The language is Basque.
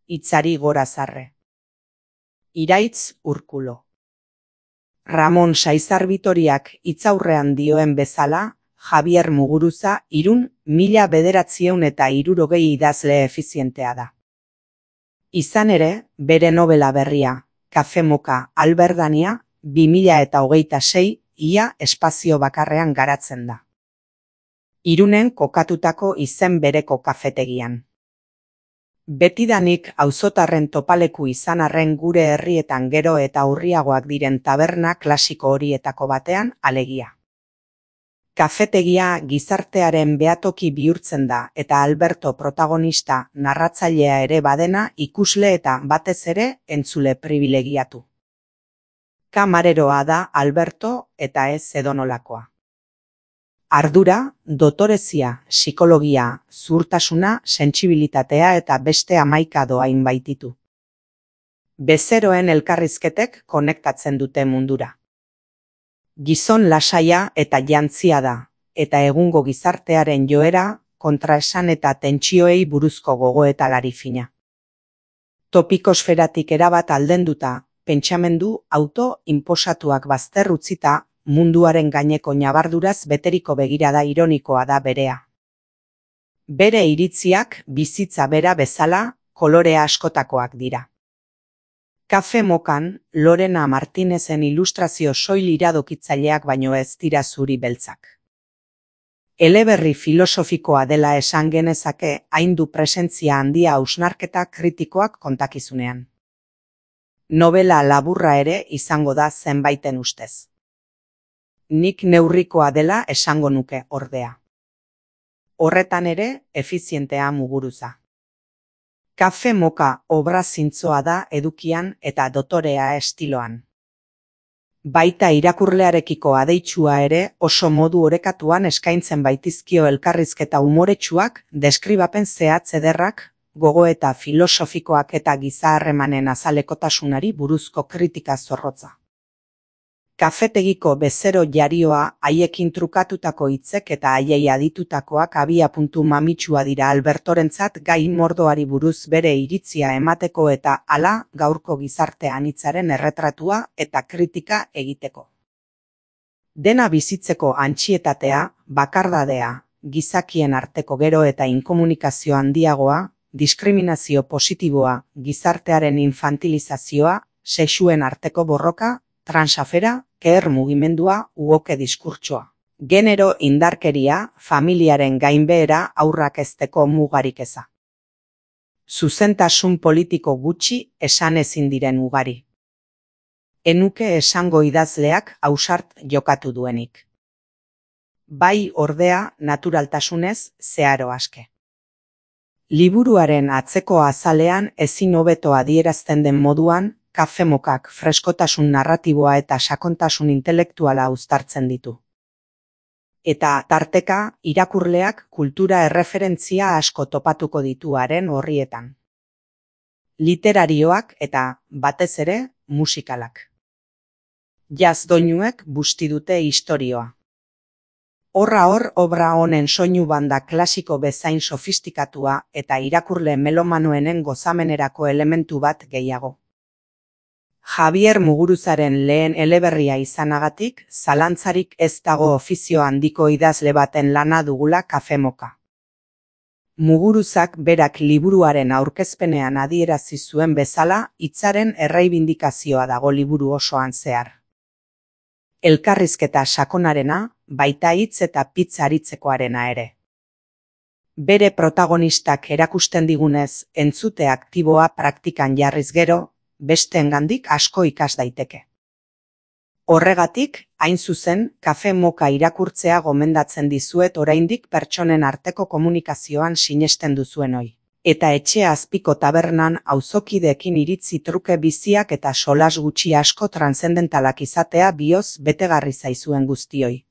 hitzari gora zarre. Iraitz Urkulo. Ramon Saizar Bitoriak hitzaurrean dioen bezala, Javier Muguruza Irun 1960 idazle efizientea da. Izan ere, bere nobela berria, Kafe Moka Alberdania, 2026 ia espazio bakarrean garatzen da. Irunen kokatutako izen bereko kafetegian. Betidanik auzotarren topaleku izan arren gure herrietan gero eta urriagoak diren taberna klasiko horietako batean alegia. Kafetegia gizartearen behatoki bihurtzen da eta Alberto protagonista narratzailea ere badena ikusle eta batez ere entzule pribilegiatu. Kamareroa da Alberto eta ez edonolakoa. Ardura, dotorezia, psikologia, zuhurtasuna, sentsibilitatea eta beste 11 dohain baititu. Bezeroen elkarrizketek konektatzen dute mundura. Gizon lasaia eta jantzia da, eta egungo gizartearen joera, kontraesan eta tentsioei buruzko gogoetalari fina. Topikosferatik erabat aldenduta, pentsamendu auto-inposatuak bazter utzita, munduaren gaineko nabarduraz beteriko begirada ironikoa da berea. Bere iritziak bizitza bera bezala kolore askotakoak dira. Kafe Mokan, Lorena Martinezen ilustrazio soil iradokitzaileak baino ez dira zuri beltzak. Eleberri filosofikoa dela esan genezake hain du presentzia handia hausnarketa kritikoak kontakizunean. Novela laburra ere izango da zenbaiten ustez. Nik neurrikoa dela esango nuke ordea. Horretan ere, efizientea Muguruza. Kafe Moka obra zintzoa da edukian eta dotorea estiloan. Baita irakurlearekiko adeitsua ere oso modu orekatuan eskaintzen baitizkio elkarrizketa umoretsuak, deskribapen zehatz ederrak, gogoeta filosofikoak eta giza harremanen azalekotasunari buruzko kritika zorrotza. Kafetegiko bezero jarioa haiekin trukatutako hitzek eta haiei aditutakoak abiapuntu mamitsua dira Albertorentzat gai mordoari buruz bere iritzia emateko eta hala gaurko gizarte anitzaren erretratua eta kritika egiteko. Dena bizitzeko antsietatea, bakardadea, gizakien arteko gero eta inkomunikazio handiagoa, diskriminazio positiboa, gizartearen infantilizazioa, sexuen arteko borroka, transafera, queer mugimendua, uoke diskurtsoa. Genero indarkeria, familiaren gainbehera haurrak hezteko mugarik eza. Zuzentasun politiko gutxi esan ezin diren ugari. Enuke esango idazleak ausart jokatu duenik. Bai ordea naturaltasunez zeharo aske. Liburuaren atzeko azalean ezin hobeto adierazten den moduan, Kafe Mokak freskotasun narratiboa eta sakontasun intelektuala uztartzen ditu. Eta tarteka irakurleak kultura erreferentzia asko topatuko dituaren horrietan. Literarioak eta, batez ere, musikalak. Jazz doinuek busti dute istorioa. Horra hor obra honen soinu banda klasiko bezain sofistikatua eta irakurle melomanoenen gozamenerako elementu bat gehiago. Javier Muguruzaren lehen eleberria izanagatik, zalantzarik ez dago ofizio handiko idazle baten lana dugula Kafe Moka. Muguruzak berak liburuaren aurkezpenean adierazi zuen bezala, hitzaren erreibindikazioa dago liburu osoan zehar. Elkarrizketa sakonarena, baita hitz eta pitz aritzekoarena ere. Bere protagonistak erakusten digunez, entzute aktiboa praktikan jarriz gero, besteengandik asko ikas daiteke. Horregatik, hain zuzen, Kafe Moka irakurtzea gomendatzen dizuet oraindik pertsonen arteko komunikazioan sinesten duzuenoi. Eta etxe azpiko tabernan auzokideekin iritzi truke biziak eta solas gutxi asko transzendentalak izatea bioz betegarri zaizuen guztioi.